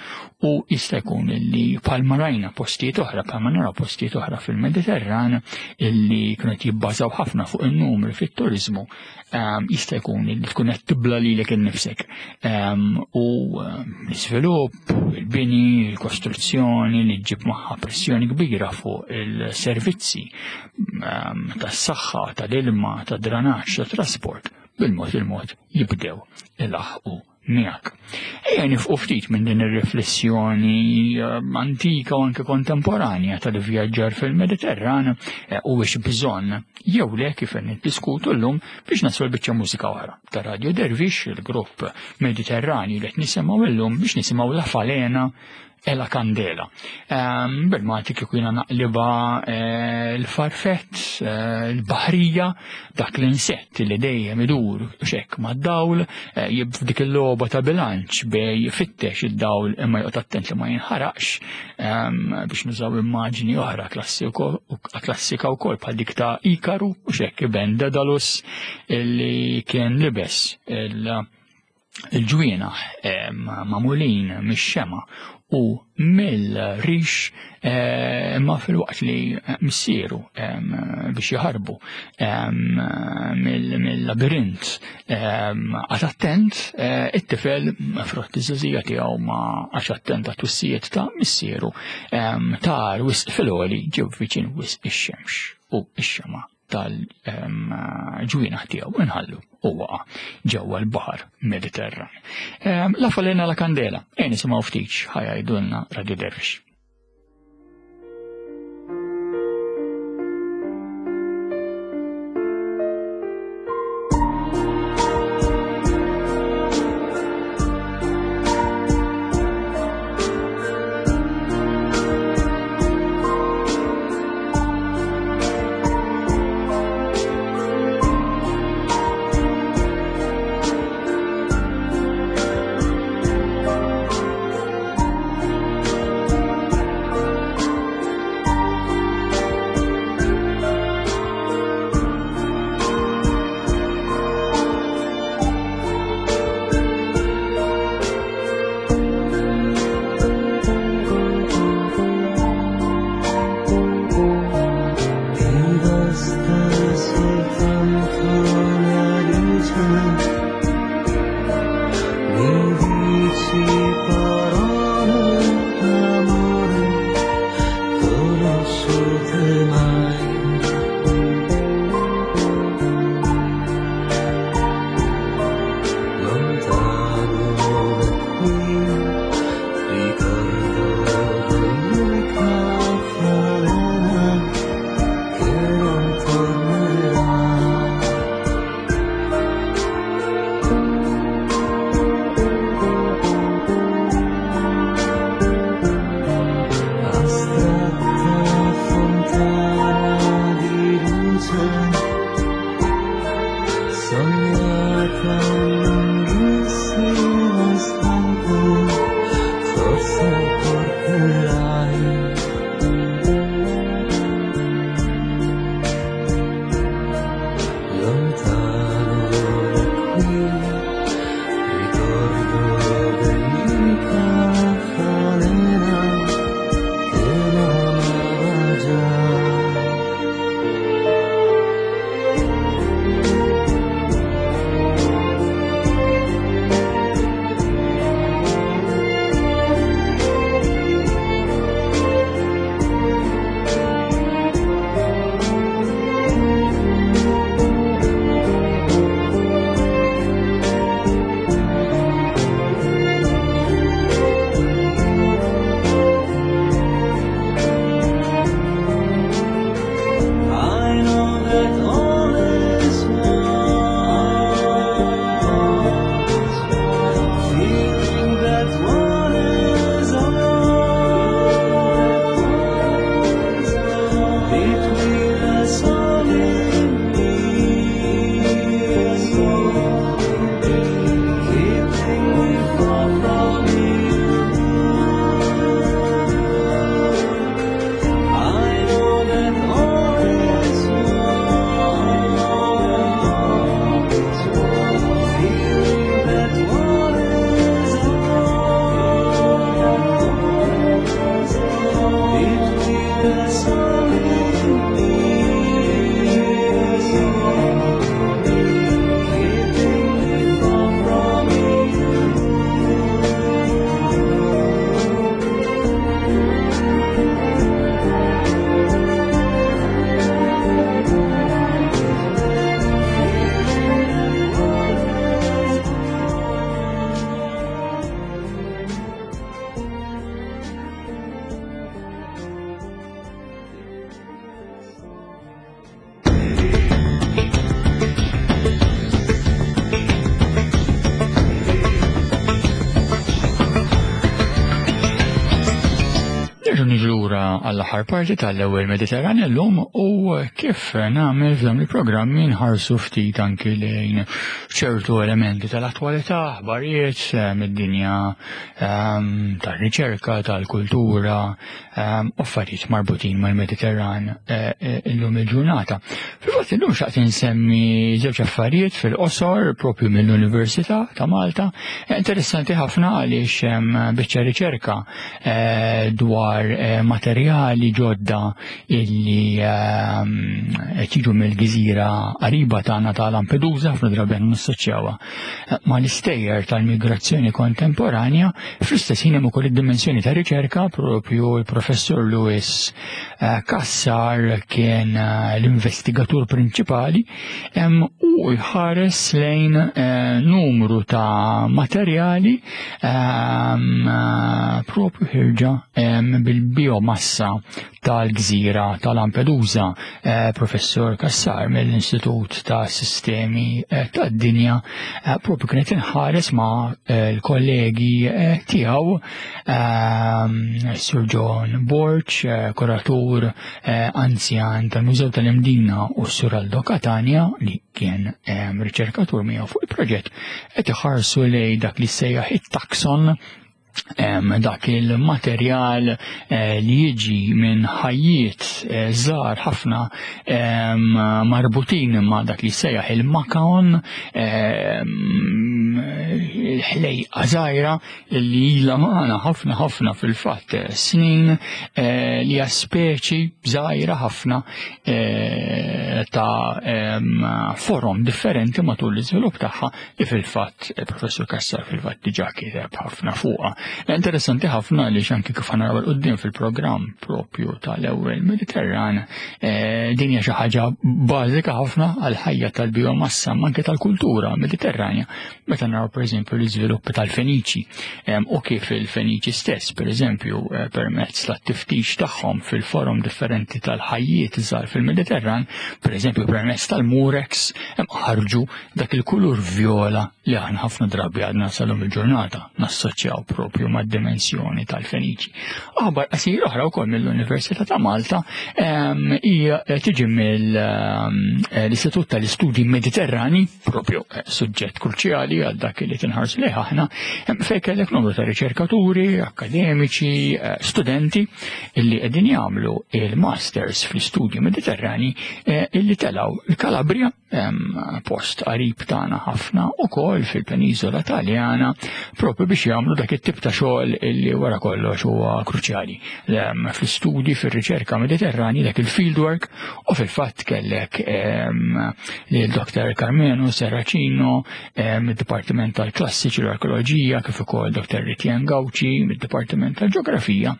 u jista' jkun illi bħalma rajna postijiet oħra, bħalma naraw postijiet oħra fil-Mediterran illi kienu qed jibbażaw ħafna fuq in-numri fit-turiżmu, jista' jkun illi tkun qed tibla lilek innifsek. U l-iżvilupp, il-bini, il-kostruzzjoni li ġġib magħha pressjoni kbira fuq il-servizzi tas-saħħa, tal-ilma, tad-dranaġġ, tat-trasport, bil-mod il-mod jibdew ilaħqu miegħek. Ejja nifqu ftit minn din ir-riflessjoni antika u anke kontemporanja tal-vjaġġar fil-Mediterran u biex bżonn jew le kif qed niddiskutu llum biex naslu l-biċċa mużika oħra ta' Radio Dervish, il-grupp Mediterranju li qed nisimgħu llum biex nisimgħu La Falena e la Candela. Um, Bil-Malti kieku jiena naqliba l-farfett, l-baħrija, dak l-insett li dejjem idur xek mad-dawl, jibf dik il-logħba ta' bilanċ bej fittex id-dawl imma joqgħod attent li ma jinħaraqx, um, biex nużaw immaġni oħra klassika wkoll bħal dik ta' Ikaru u xek iben Dedalus illi kien libes il-ġwienaħ magħmulin mix-xema u mill-rix, imma fil-waqt li missieru biex jaħarbu mill-labirint għad attent it-tifel frott iż-żgħażija tiegħu ma għax attent għat-twissijiet ta' missieru tar wisq fil-għoli ġew viċin wisq ix-xemx u x-xema tal-ġwienaħ tiegħu inħallu u waqa' ġewwa l-baħar Mediterran. La Falena la Candela, e nisimgħu ftit ħajajdulna Radio Dervish. Thank Nerġgħu niġu lura għall-aħħar parti tal-ewwel Mediterran illum u kif nagħmel f'dawn il-programmi nħarsu ftit anki lejn ċertu elementi tal-attwalità, aħbarijiet eh, mid-dinja ehm, tar-riċerka, tal-kultura, ehm, affarijiet marbutin mal-Mediterran eh, eh, illum il-ġurnata. Fil-fatt illum xtaqt insemmi żewġ affarijiet fil-qosor propju mill-Università ta' Malta. Interessanti ħafna għaliex hemm biċċa riċerka dwar materjali ġodda illi ehm, qed jiġu mill-gżira qariba tagħna ta' Lampedusa, ħafna drabi nassoċjawha mal-istejjer tal-migrazzjoni kontemporanja. Fl-istess ħin hemm ukoll id-dimensjoni ta' riċerka. Propju l-professur Louis eh, Cassar kien eh, l-investigatur prinċipali u jħares lejn eh, numru ta' materjali ehm, propju ħirġa bil-biomassa tal-gżira ta' Lampedusa. Professur Cassar mill-Istitut ta' Sistemi tad-Dinja propju kienet inħares ma' l-kollegi tiegħu, ehm, Sir John Borg, kuratur anzjan tal-Mużew tal-Imdina, u Sur Aldo Catania li kien riċerkatur miegħu fuq il-proġett, qed iħarsu lejn dak li sejjaħ it-taxon, dak il-materjal eh, li jiġi minn ħajjiet eh, żgħar ħafna marbutin ma' dak li sejjaħ il-makaon, ħlejqa żgħira li ilha magħna ħafna ħafna fil-fatt snin, eh, li hija speċi żgħira ħafna ta' forom differenti matul l-iżvilupp tagħha, li fil-fatt professur Cassar fil-fatt diġà kiteb ħafna fuqha. Interessanti ħafna li anki kif naraw quddiem fil-programm propju tal-ewwel Mediterran, eh, din hija xi ħaġa bażika ħafna għal ħajja tal-biomassa ma anke tal-kultura Mediterranja. Meta naraw, pereżempju, l-iżviluppi tal-Feniċi u kif il-Feniċi stess, pereżempju, eh, permezz tat-tiftix tagħhom fil-forom differenti tal-ħajjiet żgħar fil-Mediterran, pereżempju permezz tal-murex, ħarġu dak il-kulur viola li aħna ħafna drabi għadna sal-lum il-ġurnata nassoċjaw propju mad-dimensjoni tal-Feniċi. Aħbar qasir oħra wkoll mill-Università ta' Malta hija tiġi mill-Istitut tal-Istudji Mediterrani, propju eh, suġġett kruċjali għal dak li tinħarsu lejh aħna, fejn kellek numru ta' riċerkaturi, akademiċi, eh, studenti illi qegħdin jagħmlu il-masters fl-istudji Mediterrani eh, illi telaw il-Kalabria, post qarib tagħna ħafna ukoll fil-Peniżola Taljana, propju biex jagħmlu dak it-tip ta' xogħol illi wara kollox huwa kruċjali fl-istudji, fir-riċerka Mediterrani, dak il-fieldwork. U fil-fatt kellek lil Doktor Carmelo Serracino mid-Dipartiment tal-Klassiċi u l-Arkeoloġija, kif ukoll Doktor Ritjen Gauci mid-Dipartiment tal-Ġeografija,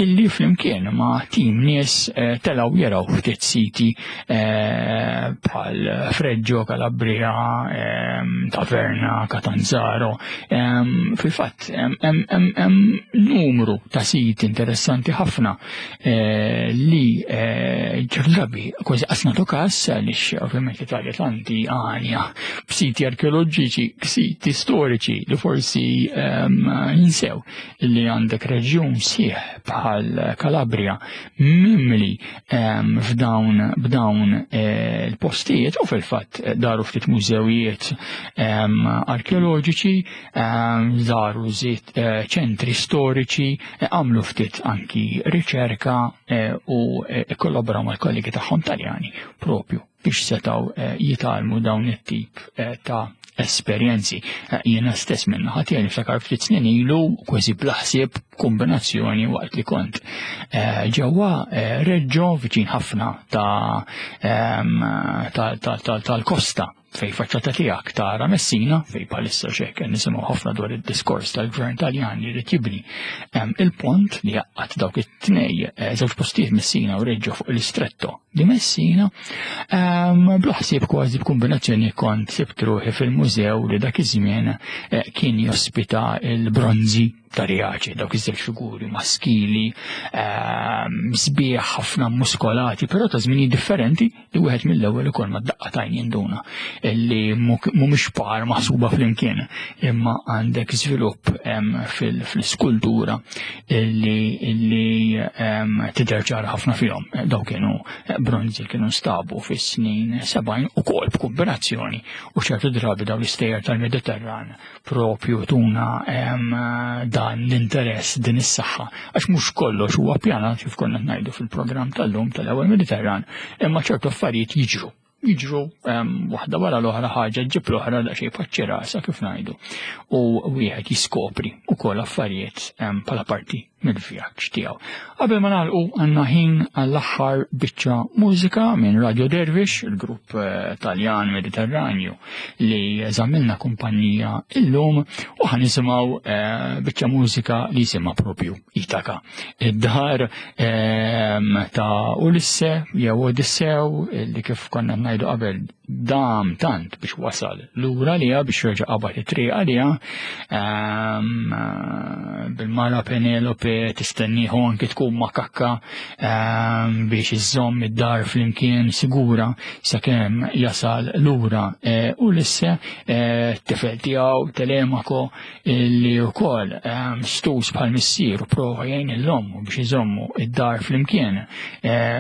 illi flimkien ma' tim nies eh, telaw jaraw ftit siti eh, bħal Reggio Calabria, Taverna, Catanzaro. Fil-fatt, hemm numru ta' siti interessanti ħafna eh, li ċertu drabi kważi qas nagħtu kas, għaliex ovvjament l-Italja tanti għanja b'siti arkeoloġiċi, siti storiċi, li forsi ninsew li għandek reġjun sħiħ bħal Calabria mimli f'dawn b'dawn eh, il-postijiet. U fil-fatt daru ftit mużewijiet arkeoloġiċi, żaru żiet eh, ċentri storiċi, eh, għamlu ftit anki riċerka u kollaboraw mal-kollegi tagħhom Taljani propju biex setaw jitgħallmu dawn it-tip ta' esperjenzi. Jiena stess minna ħati niftakar ftit snin ilu, kważi bla ħsieb, kombinazzjoni, waqt li kont ġewwa Reggio, viċin ħafna ta' tal-kosta fej faċċata tiegħek tara Messina, fej bħalissa xek nisimgħu ħafna dwar id-diskors tal-gvern Taljan li jrid jibni il-pont li jgħaqqad dawk it-tnej eh, żewġ postijiet, Messina u Reggio, fuq l-Istretto di Messina. Bla ħsieb, kważi b'kombinazzjoni, kont sibt ruħi fil-mużew li dak iż-żmien eh, kien jospita il-bronzi. ta' Riace, dawk iż-żewġ figuri maskili, sbieħ ħafna muskolati, però ta' żminijiet differenti li wieħed mill-ewwel ukoll ma daqqa tajn jinduna li mhumiex par maħsuba flimkien, imma għandek żvilupp fil-skultura li tidher ċara ħafna fihom. Dawk kienu bronzi kienu nstabu fis-snin sebgħin ukoll b'kombinazzjoni u ċertu drabi dawn l-istejjer tal-Mediterran propju tuna dan l-interess, din is-saħħa, għax mhux kollox huwa pjanat kif konna ngħidu fil-programm tal-lum tal-ewwel Mediterran, imma ċertu affarijiet jiġru jiġru waħda wara l-oħra, ħaġa ġib l-oħra daqsxejn paċċi rasa kif ngħidu, u wieħed jiskopri wkoll affarijiet bħala parti mill-vjaġġ tiegħu. Qabel ma nagħlqu għandna ħin għall-aħħar biċċa mużika minn Radio Dervish, il-grupp Taljan Mediterranju li żammilna kumpanija illum, u ħa nisimgħu biċċa mużika li jisimha propju Itaka. Id-dar ta' Ulisse jew Odissew li kif konna ngħidu qabel dam tant biex wasal lura għalija biex jerġa' qabad it-triq għalija, bil-mara Penelope tistennieħu anki tkun makakka biex iżżomm id-dar flimkien sigura sakemm jasal lura Ulisse, t-tifel tiegħu Telemako li wkoll stus bħal missier u prova jgħin l-ommu biex iżommu id-dar flimkien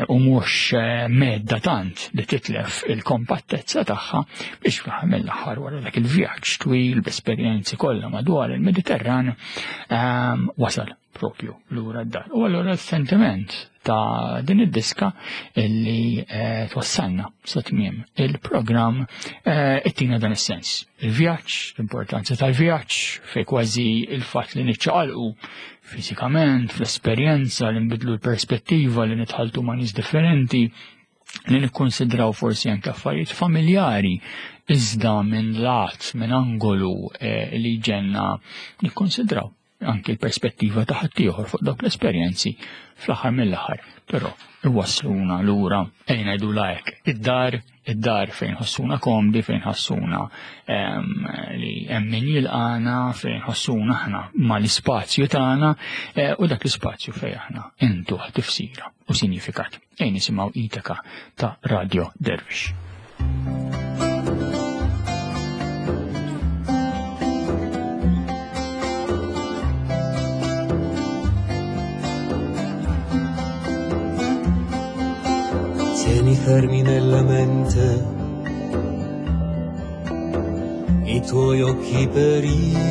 u mhux medda tant li titlef il-kompattezza tagħha biex mill-aħħar wara dak il-vjaġġ twil b'esperjenzi kollha madwar il-Mediterran wasal propju lura d-dar. U allura s-sentiment ta' din id-diska illi twassalna sa tmiem il-programm ittina dan is-sens. Il-vjaġġ, l-importanza tal-vjaġġ, fej kważi il-fatt li niċċaqalqu fiżikament, fl-esperjenza, li nbidlu l-perspettiva, li nitħaltu ma' nies differenti, li nikkonsidraw forsi anke affarijiet familjari iżda minn lat, minn angolu li ġenna nikkonsidraw anke l-perspettiva ta' ħaddieħor fuq dawk l-esperjenzi fl-aħħar mill-aħħar, però iwassluna lura ejn ngħidu hekk id-dar, id-dar fejn ħossuna komdi, fejn ħossuna li hemm min jilqana, fejn ħossuna aħna mal-ispazju tagħna u dak l-ispazju fejn aħna intuh tifsira u sinifikat. Ejn nisimgħu Itaka ta' Radio Dervish. Tieni fermi nella mente i tuoi occhi per Itaca,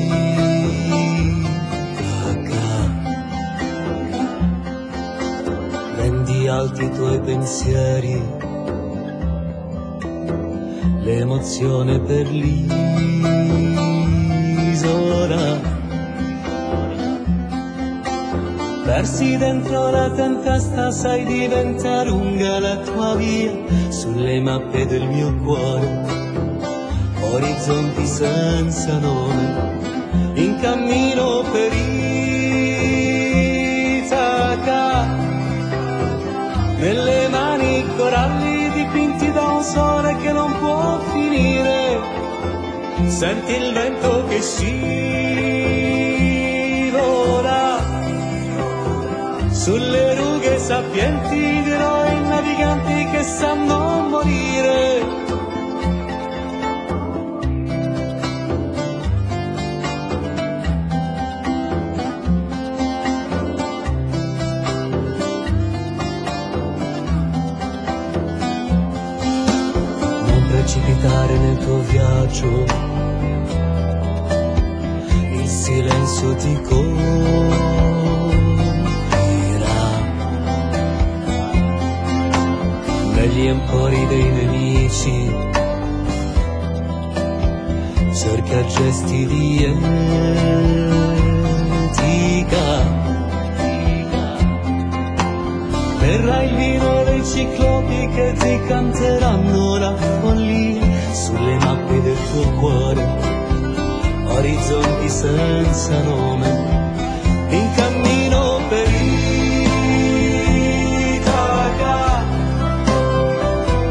rendi alti i tuoi pensieri, l'emozione per l'isola. Persi dentro la tempesta sai diventare lunga la tua via, sulle mappe del mio cuore, orizzonti senza nome, in cammino per Itaca, nelle mani coralli dipinti da un sole che non può finire, senti il vento che scivola sulle rughe sapienti di eroi naviganti che sanno morire. Non precipitare nel tuo viaggio, il silenzio ti coprirà. Negli empori dei nemici cerca gesti di etica. Berrai il vino dei ciclopi che ti canteranno la follia sulle mappe del tuo cuore, orizzonti senza nome, in cammino per Itaca,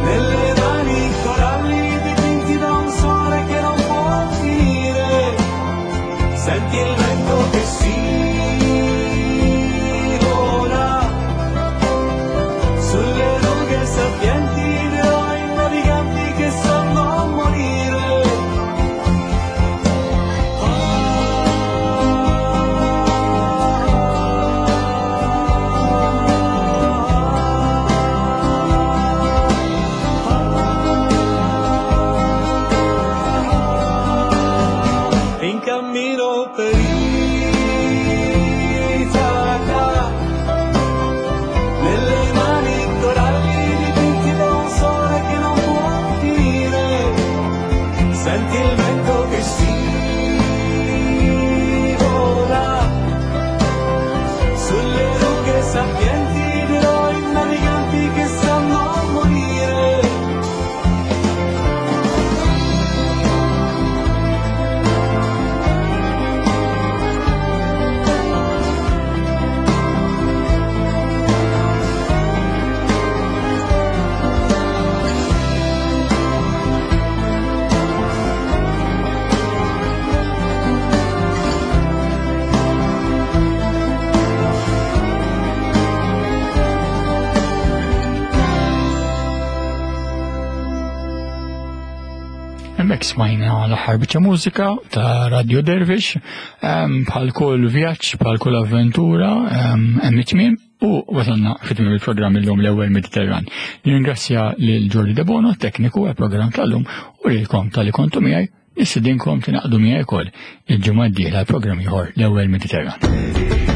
nelle mani coralli dipinti da un sole che non può finire, senti il vento che si Hemmhekk smajna l-aħħar biċċa mużika ta' Radio Dervish, bħal kull vjaġġ, bħal kull avventura, hemm it-tmiem u wasalna fit-tmiem il-programm illum l-ewwel Mediterran. Nirringrazzja lil Jordi Debono, tekniku għall-programm tal-lum, u lilkom talli kontu miegħi, nistedinkom tingħaqdu miegħi wkoll il-ġimgħa d-dieħla l-programm ieħor l-ewwel Mediterran.